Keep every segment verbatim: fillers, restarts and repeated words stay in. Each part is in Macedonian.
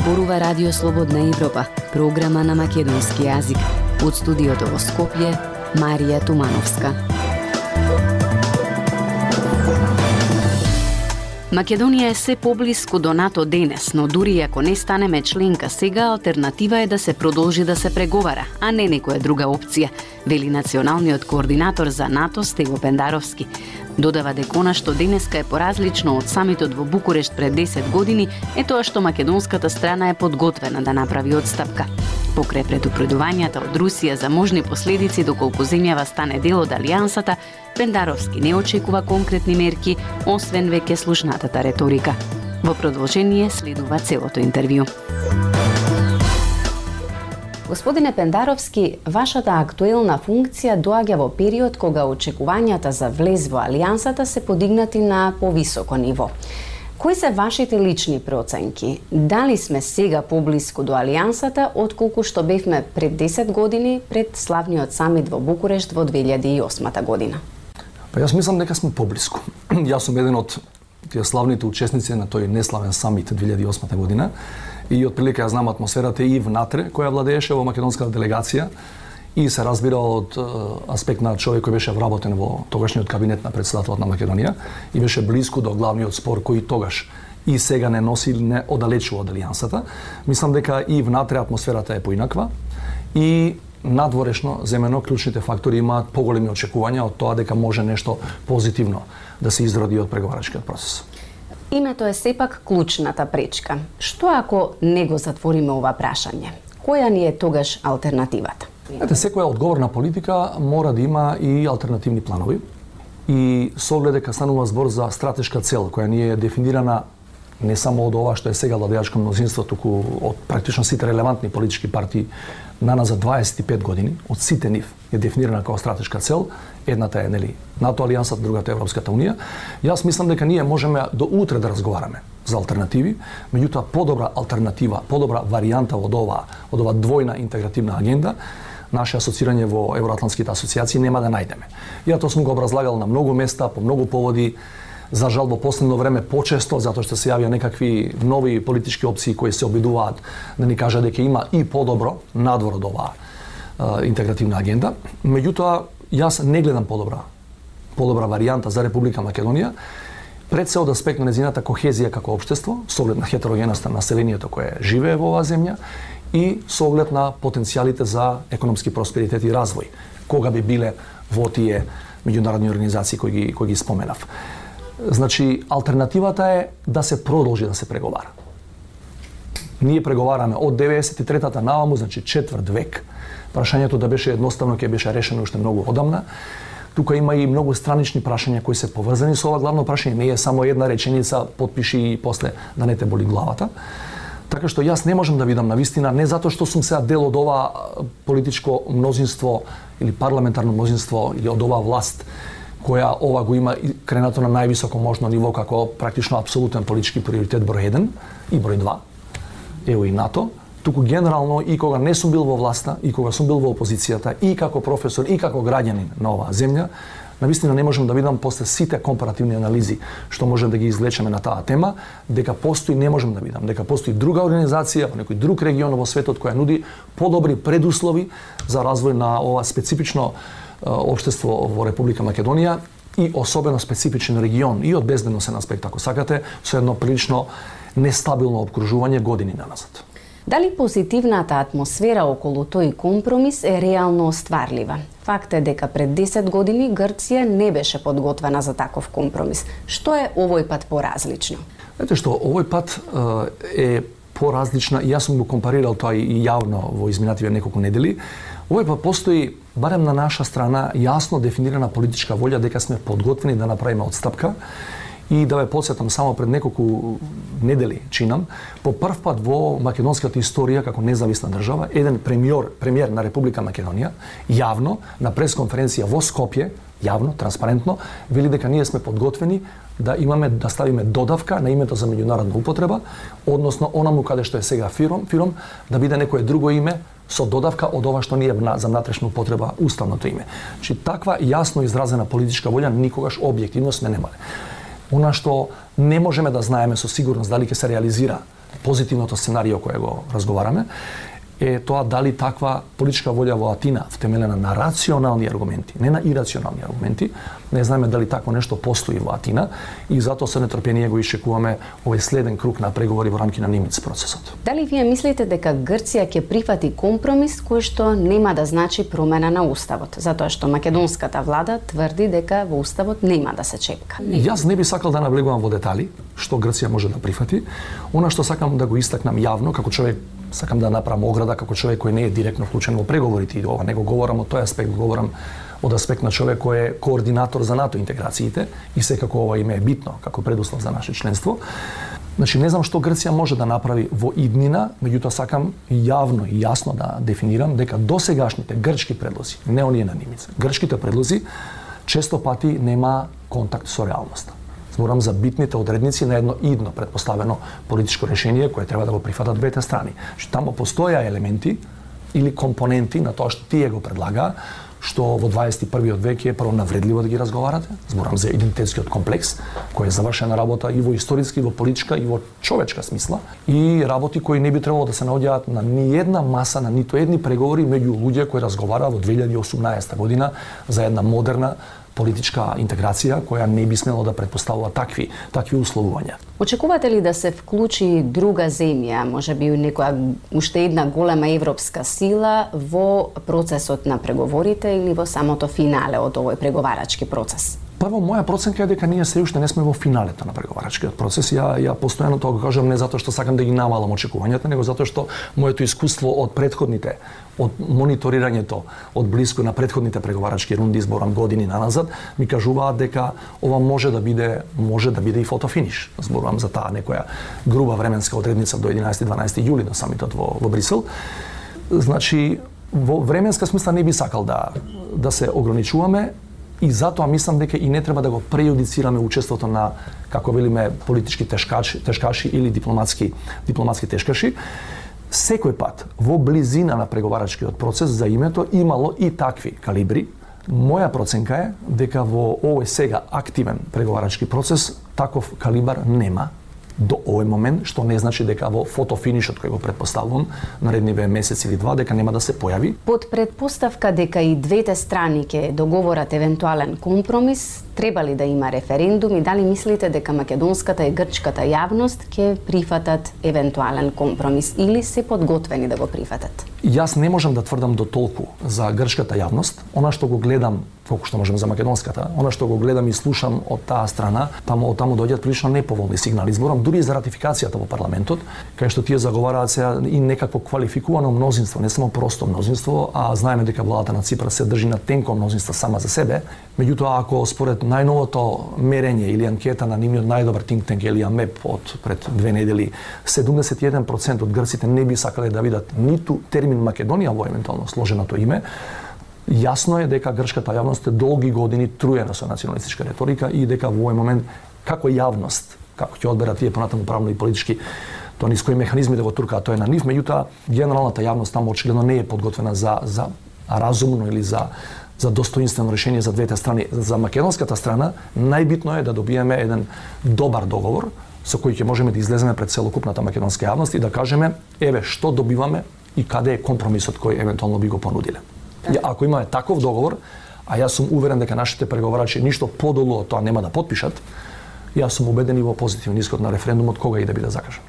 зборува Радио Слободна Европа, програма на македонски јазик. Од студиото во Скопје, Марија Тумановска. Македонија е се поблиску до НАТО денес, но дури ако не станеме членка сега, алтернатива е да се продолжи да се преговара, а не некоја друга опција, вели националниот координатор за НАТО Стево Пендаровски. Додава дека она што денеска е поразлично од самитот во Букурешт пред десет години е тоа што македонската страна е подготвена да направи отстапка. Покрај предупредувањата од Русија за можни последици доколку земјава стане дел од алијансата, Пендаровски не очекува конкретни мерки, освен веќе слушнатата реторика. Во продолжение следува целото интервју. Господине Пендаровски, вашата актуелна функција доаѓа во период кога очекувањата за влез во алијансата се подигнати на повисоко ниво. Кои се вашите лични проценки? Дали сме сега поблиску до алијансата отколку што бевме пред десет години пред славниот самит во Букурешт во две илјади и осма година? Па јас мислам дека сме поблиску. Јас сум еден од тие славните учесници на тој неславен самит две илјади и осма година и отприлика ја знам атмосферата и внатре која владееше во македонската делегација и се разбира од аспект на човек кој беше вработен во тогашниот кабинет на претседателот на Македонија и беше близко до главниот спор кој тогаш и сега не носи или не оддалечува од алијансата. Мислам дека и внатре атмосферата е поинаква и надворешно земено клучните фактори имаат поголеми очекувања од тоа дека може нешто позитивно да се изроди од преговарачкиот процес. Името е сепак клучната пречка. Што ако не го затвориме ова прашање? Која ни е тогаш алтернативата? Ете, секоја одговорна политика мора да има и алтернативни планови. И со оглед дека станува збор за стратешка цел која ни е дефинирана не само од ова што е сега владеачко мнозинство, туку од практично сите релевантни политички партии наназад дваесет и пет години, од сите нив е дефинирана како стратешка цел. Едната е нели НАТО алијансата, другата е Европската унија. Јас мислам дека ние можеме до утре да разговараме за алтернативи, меѓутоа подобра алтернатива, подобра варијанта од ова, од ова двојна интегративна агенда, наше асоцирање во евроатлантските асоциации нема да најдеме. Ја тоа сум го образлагал на многу места, по многу поводи. За жал во последно време почесто, затоа што се јавија некакви нови политички опции кои се обидуваат да ни кажат дека има и подобро надвор од оваа е, интегративна агенда. Меѓутоа, јас не гледам подобра подобра варијанта за Република Македонија, пред се од аспект на нејзината кохезија како општество, со оглед на хетерогеноста на населението кое живее во оваа земја и со оглед на потенцијалите за економски просперитет и развој, кога би биле во тие меѓународни организации кои ги, кои ги споменав. Значи, алтернативата е да се продолжи да се преговара. Ние преговараме од деветдесет и третата наваму, значи четврт век. Прашањето да беше едноставно ќе беше решено уште многу одамна. Тука има и многу странични прашања кои се поврзани со ова главно прашање. Не е само една реченица, потпиши и после да не те боли главата. Така што јас не можам да видам на вистина, не затоа што сум сега дел од ова политичко мнозинство или парламентарно мнозинство или од оваа власт, која ова го има кренато на највисоко можно ниво како практично апсолутен политички приоритет број еден и број два, ево и НАТО, туку генерално и кога не сум бил во власта, и кога сум бил во опозицијата, и како професор, и како граѓанин на оваа земја, навистина не можам да видам после сите компаративни анализи што можем да ги извлечеме на таа тема, дека постои, не можем да видам, дека постои друга организација во некој друг регион во светот која нуди подобри предуслови за развој на ова специфично општество во Република Македонија и особено специфичен регион и од безбедносен аспект, ако сакате, со едно прилично нестабилно обкружување години наназад. Дали позитивната атмосфера околу тој компромис е реално остварлива? Факт е дека пред десет години Грција не беше подготвена за таков компромис. Што е овој пат поразлично? Ете што, овој пат е поразлична, и јас сум го компарирал тоа и јавно во изминативе неколку недели. Овој пат постои, барем на наша страна, јасно дефинирана политичка волја дека сме подготвени да направиме отстапка. И да ве подсетам, само пред неколку недели, чинам, по прв пат во македонската историја како независна држава, еден премиер, премиер на Република Македонија, јавно, на пресконференција во Скопје, јавно, транспарентно, вели дека ние сме подготвени да имаме, да ставиме додавка на името за меѓународна употреба, односно онаму каде што е сега фиром, фиром да биде некое друго име со додавка од ова што ние за внатрешна употреба уставното име. Значи, таква јасно изразена политичка волја никогаш објективно сме немале. Она што не можеме да знаеме со сигурност дали ќе се реализира позитивното сценарио кое го разговараме, е тоа дали таква политичка волја во Атина, втемелена на рационални аргументи, не на ирационални аргументи, не знаеме дали такво нешто постои во Атина и затоа со нетрпение го ишчекуваме овој следен круг на преговори во рамки на Нимиц процесот. Дали вие мислите дека Грција ќе прифати компромис кој што нема да значи промена на уставот, затоа што македонската влада тврди дека во уставот нема да се чепка? Јас не би сакал да навлегувам во детали што Грција може да прифати. Она што сакам да го истакнам јавно како човек, сакам да направам ограда како човек кој не е директно вклучен во преговорите и ова не го говорам од тој аспект, го говорам од аспект на човек кој е координатор за НАТО интеграциите и секако ова име е битно како предуслов за наше членство. Значи не знам што Грција може да направи во иднина, меѓутоа сакам јавно и јасно да дефинирам дека досегашните грчки предлози, не оние на Нимица, грчките предлози често пати нема контакт со реалноста. Зборам за битните одредници на едно идно предпоставено политичко решение кое треба да го прифатат двете страни. Што тамо постоја елементи или компоненти на тоа што тие го предлагаа, што во дваесет и првиот век е прво навредливо да ги разговарате. Зборам за идентитетскиот комплекс, кој е завршена работа и во историски, и во политичка, и во човечка смисла, и работи кои не би требало да се наоѓаат на ни една маса, на ниту едни преговори меѓу луѓе кои разговараа во две илјади и осумнаесета година за една модерна политичка интеграција која не би смело да претпоставува такви такви условувања. Очекувате ли да се вклучи друга земја, можеби некоја уште една голема европска сила во процесот на преговорите или во самото финале од овој преговарачки процес? Прво, моја проценка е дека ние се уште не сме во финалето на преговарачкиот процес. Ја, ја постојано тоа го кажам не затоа што сакам да ги намалам очекувањата, него затоа што моето искуство од претходните, од мониторирањето од блиску на претходните преговарачки рунди, зборам години наназад, ми кажуваат дека ова може да биде може да биде и фотофиниш. Зборам за таа некоја груба временска одредница до единаесети-дванаесети јули на самитот во, во Брисел. Значи, во временска смисла не би сакал да да се ограничуваме. И затоа мислам дека и не треба да го прејудицираме учеството на, како велиме, политички тешкачи, тешкаши или дипломатски дипломатски тешкаши. Секој пат во близина на преговарачкиот процес за името имало и такви калибри. Моја проценка е дека во овој сега активен преговарачки процес таков калибар нема до овој момент, што не значи дека во фотофинишот кој го претпоставувам наредниве месец или два дека нема да се појави. Под претпоставка дека и двете страни ќе договорат евентуален компромис, треба ли да има референдум и дали мислите дека македонската и грчката јавност ќе прифатат евентуален компромис или се подготвени да го прифатат? Јас не можам да тврдам до толку за грчката јавност. Она што го гледам, колку што можам за македонската, она што го гледам и слушам од таа страна, таму од таму доаѓаат прилично неповолни сигнали. Зборам дури за ратификацијата во парламентот, кај што тие заговараат се и некакво квалификувано мнозинство, не само просто мнозинство, а знаеме дека владата на Ципра се држи на тенко мнозинство сама за себе. Меѓутоа, ако според најновото мерење или анкета на нивниот најдобар think tank или АМЕП од пред две недели, седумдесет и еден процент од грците не би сакале да видат ниту термин Македонија во евентуално сложеното име, јасно е дека грчката јавност е долги години труена со националистичка реторика и дека во овој момент како јавност, како ќе одберат тие понатаму правно и политички, тоа низ кои механизми да го туркаат, тоа е на нив, меѓутоа генералната јавност таму очигледно не е подготвена за за разумно или за за достоинствено решение за двете страни. За македонската страна најбитно е да добиеме еден добар договор со кој ќе можеме да излеземе пред целокупната македонска јавност и да кажеме еве што добиваме и каде е компромисот кој евентуално би го понудиле. И ако имаме таков договор, а јас сум уверен дека нашите преговарачи ништо подолу од тоа нема да потпишат, јас сум убеден и во позитивен исход на референдумот кога и да биде закажан.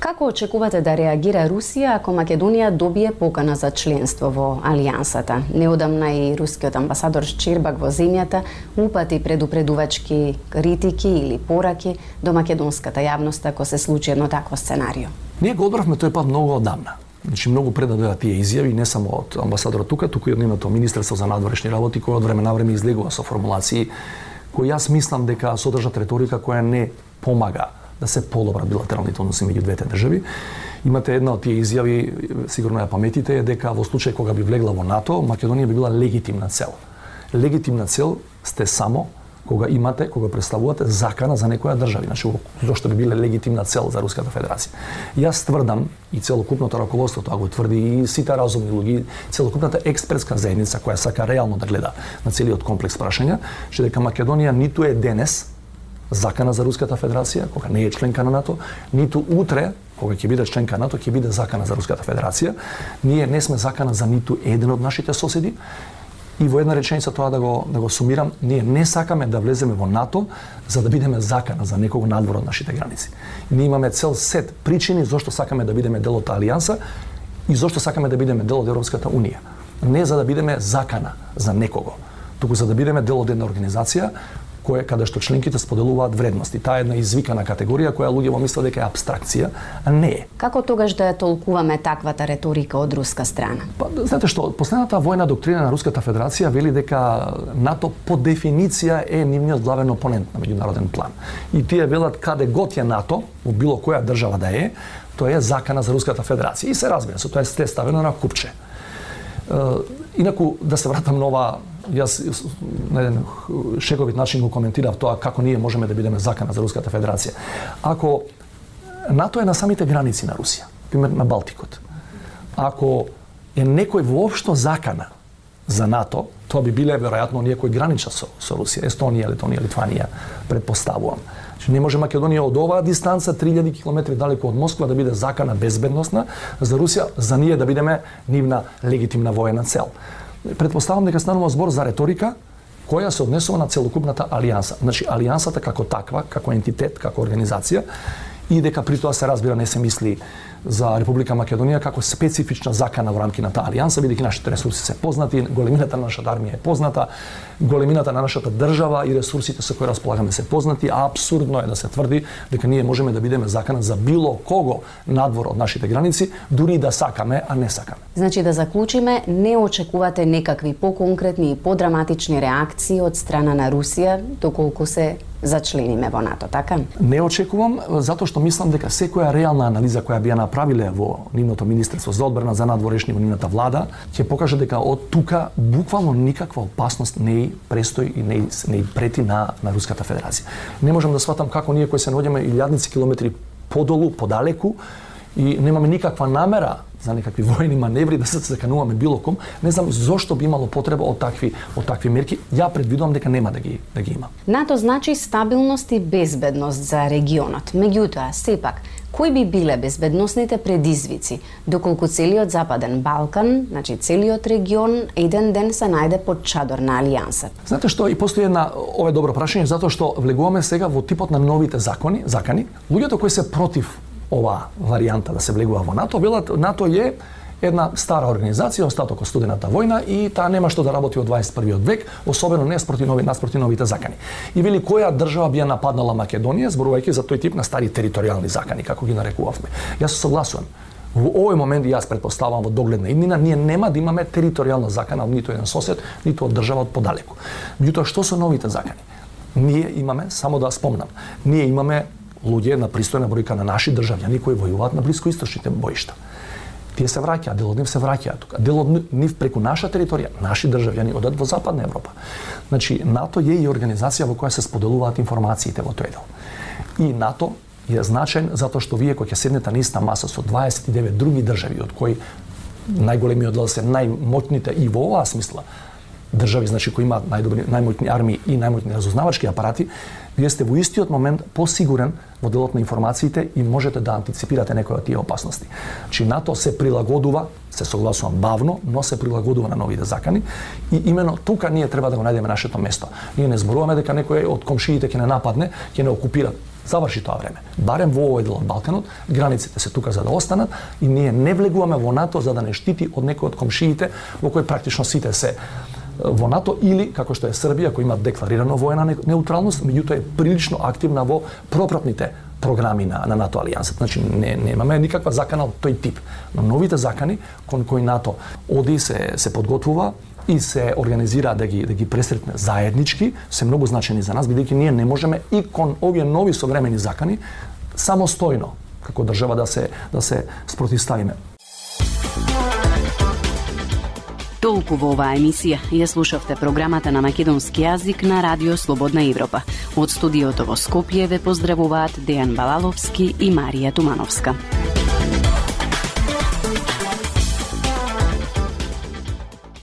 Како очекувате да реагира Русија ако Македонија добие покана за членство во Алијансата? Неодамна и рускиот амбасадор Щербак во земјата упати предупредувачки критики или пораки до македонската јавност ако се случи едно такво сценарио. Ние го одбравме тој пат многу одамна. Значи многу пред да дојдат тие изјави, не само од амбасадорот тука, туку и од нивното Министерство за надворешни работи кој од време на време излегува со формулации кои јас мислам дека содржат реторика која не помага да се подобрат билатералните односи меѓу двете држави. Имате една од тие изјави, сигурно ја паметите, е дека во случај кога би влегла во НАТО, Македонија би била легитимна цел. Легитимна цел сте само кога имате, кога представувате закана за некоја држава, значи зошто би биле легитимна цел за Руската Федерација. Јас тврдам и целокупното раководство тоа го тврди и сите разумни луѓе, целокупната експертска заедница која сака реално да гледа на целиот комплекс прашања, што дека Македонија ниту е денес закана за Руската Федерација, кога не е членка на НАТО, ниту утре кога ќе биде членка НАТО, ќе биде закана за Руската Федерација. Ние не сме закана за ниту еден од нашите соседи. И во една реченица тоа да го да го сумирам, ние не сакаме да влеземе во НАТО за да бидеме закана за некого надвор од нашите граници. Ние имаме цел сет причини зошто сакаме да бидеме дел од Алијанса и зошто сакаме да бидеме дел од Европската унија. Не за да бидеме закана за некого, туку за да бидеме дел од една организација која каде што членките споделуваат вредности. Таа е една извикана категорија која луѓето мислат дека е абстракција, а не е. Како тогаш да ја толкуваме таквата реторика од руска страна? Па, знаете што, последната војна доктрина на Руската Федерација вели дека НАТО по дефиниција е нивниот главен опонент на меѓународен план. И тие велат каде год е НАТО, во било која држава да е, тоа е закана за Руската Федерација. И се разбира, со тоа е ставено на купче. Инаку, да се вратам на ова, јас на еден шеговит начин го коментирав тоа како ние можеме да бидеме закана за Руската Федерација. Ако НАТО е на самите граници на Русија, пример на Балтикот, ако е некој воопшто закана за НАТО, тоа би биле веројатно оние кои граничат со, со Русија, Естонија, Летонија, Литванија, предпоставувам. Не може Македонија од оваа дистанца три илјади километри далеко од Москва да биде закана безбедносна за Русија, за ние да бидеме нивна легитимна воена цел. Предпоставам дека станува збор за реторика која се однесува на целокупната алијанса. Значи алијансата како таква, како ентитет, како организација, и дека при тоа се разбира не се мисли за Република Македонија како специфична закана во рамки на таа алијанса, бидејќи нашите ресурси се познати, големината на нашата армија е позната, големината на нашата држава и ресурсите со кои располагаме се познати, а апсурдно е да се тврди дека ние можеме да бидеме закана за било кого надвор од нашите граници, дури да сакаме, а не сакаме. Значи да заклучиме, не очекувате некакви поконкретни и подраматични реакции од страна на Русија доколку се зачлениме во НАТО, така? Не очекувам, затоа што мислам дека секоја реална анализа која би ја направиле во нивното Министерство за одбрана, за надворешни во нивната влада, ќе покаже дека од тука буквално никаква опасност не и престои и не и, не и прети на, на Руската Федерација. Не можам да сватам како ние кои се наоѓаме илјадници километри подолу, подалеку, и немаме никаква намера за некакви воени маневри да се закануваме било ком, не знам зошто би имало потреба од такви од такви мерки. Ја предвидувам дека нема да ги да ги има. НАТО значи стабилност и безбедност за регионот. Меѓутоа, сепак, кои би биле безбедносните предизвици доколку целиот Западен Балкан, значи целиот регион, еден ден се најде под чадор на алијансата? Знаете што, и постои една, ова е добро прашање, затоа што влегуваме сега во типот на новите закони, закани. Луѓето кои се против ова варијанта да се влегува во НАТО, велат НАТО е една стара организација, остаток од студената војна и таа нема што да работи во дваесет и првиот век, особено не спроти нови наспроти новите закани. И вели која држава би ја нападнала Македонија, зборувајќи за тој тип на стари територијални закани, како ги нарекувавме. Јас се согласувам. Во овој момент јас претпоставувам во догледна иднина ние нема да имаме територијална закана од ниту еден сосед, ниту од држава од подалеку. Меѓутоа што се новите закани? Ние имаме, само да спомнам, ние имаме луѓе на пристојна бројка на наши државјани кои војуваат на блискоисточните боишта. Тие се враќаат, дел од нив се враќаат тука. Дел од нив преку наша територија, наши државјани одат во Западна Европа. Значи, НАТО е и организација во која се споделуваат информациите во тој дел. И НАТО е значаен затоа што вие кои ќе седнете на иста маса со дваесет и девет други држави, од кои најголемиот дел се најмоќните и во оваа смисла држави, значи кои имаат најдобри, најмоќни армии и најмоќни разузнавачки апарати, вие сте во истиот момент посигурен во делот на информациите и можете да антиципирате некои од тие опасности. Значи НАТО се прилагодува, се согласувам бавно, но се прилагодува на новите закани и имено тука ние треба да го најдеме нашето место. Ние не зборуваме дека некој од комшиите ќе не нападне, ќе не окупира. Заврши тоа време. Барем во овој дел од Балканот, границите се тука за да останат и ние не влегуваме во НАТО за да не штити од некој од комшиите во кои практично сите се во НАТО или, како што е Србија, која има декларирано воена неутралност, меѓутоа е прилично активна во пропратните програми на, на НАТО алијансата. Значи, не, немаме никаква закана од тој тип. Но новите закани, кон кои НАТО оди се, се подготвува и се организира да ги, да ги пресретне заеднички, се многу значени за нас, бидејќи ние не можеме и кон овие нови современи закани самостојно, како држава да се, да се спротивставиме. Толку во оваа емисија ја слушавте програмата на македонски јазик на Радио Слободна Европа. Од студиото во Скопје ве поздравуваат Дејан Балаловски и Марија Тумановска.